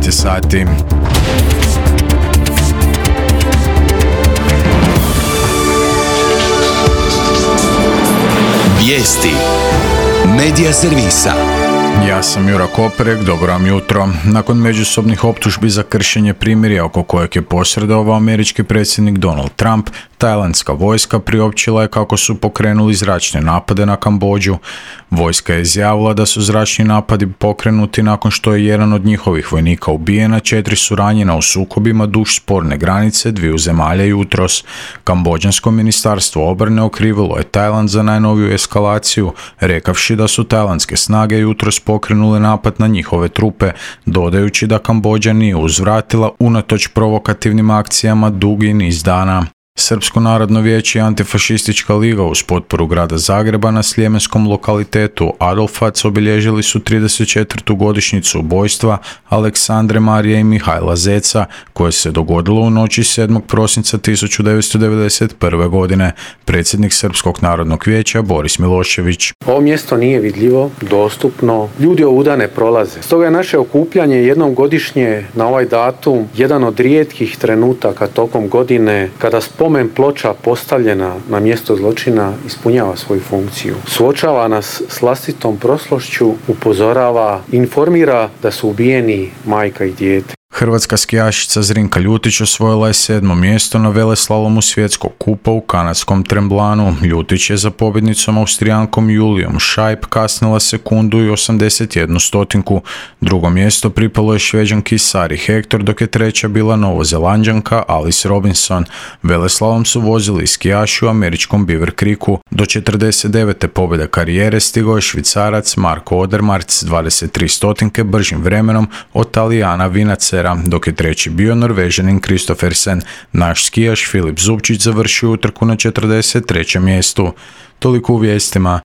9 sati. Vijesti Medija servisa. Ja sam Jura Koperek, dobro vam jutro. Nakon međusobnih optužbi za kršenje primirja oko kojeg je posredovao američki predsjednik Donald Trump, tajlandska vojska priopćila je kako su pokrenuli zračne napade na Kambodžu. Vojska je izjavila da su zračni napadi pokrenuti nakon što je jedan od njihovih vojnika ubijen, a 4 su ranjena u sukobima duž sporne granice dviju zemalja jutros. Kambodžansko ministarstvo obrane okrivilo je Tajland za najnoviju eskalaciju, rekavši da su tajlandske snage jutros pokrenule napad na njihove trupe, dodajući da Kambodža nije uzvratila unatoč provokativnim akcijama dugi niz dana. Srpsko narodno vijeće i Antifašistička liga uz potporu grada Zagreba na sljemenskom lokalitetu Adolfac obilježili su 34. godišnjicu ubojstva Aleksandre Marije i Mihajla Zeca, koje se dogodilo u noći 7. prosinca 1991. godine. Predsjednik Srpskog narodnog vijeća Boris Milošević. Ovo mjesto nije vidljivo, dostupno, ljudi ovuda ne prolaze. Stoga je naše okupljanje jednom godišnje na ovaj datum jedan od rijetkih trenutaka tokom godine kada spomen ploča postavljena na mjesto zločina ispunjava svoju funkciju. Suočava nas s vlastitom prošlošću, upozorava, informira da su ubijeni majka i dijete. Hrvatska skijašica Zrinka Ljutić osvojila je 7. mjesto na veleslalomu svjetskog kupa u kanadskom Tremblanu. Ljutić je za pobjednicom Austrijankom Julijom Šajp kasnila sekundu i 81 stotinku. Drugo mjesto pripalo je Šveđanki Sari Hector, dok je treća bila Novozelanđanka Alice Robinson. Veleslalom su vozili skijaši u američkom Beaver Creeku. Do 49. pobjede karijere stigao je Švicarac Marko Odermatt s 23 stotinke bržim vremenom od Talijana Vinacera, dok je treći bio Norvežanin Kristoffersen. Naš skijaš Filip Zubčić završio utrku na 43. mjestu. Toliko u vijestima.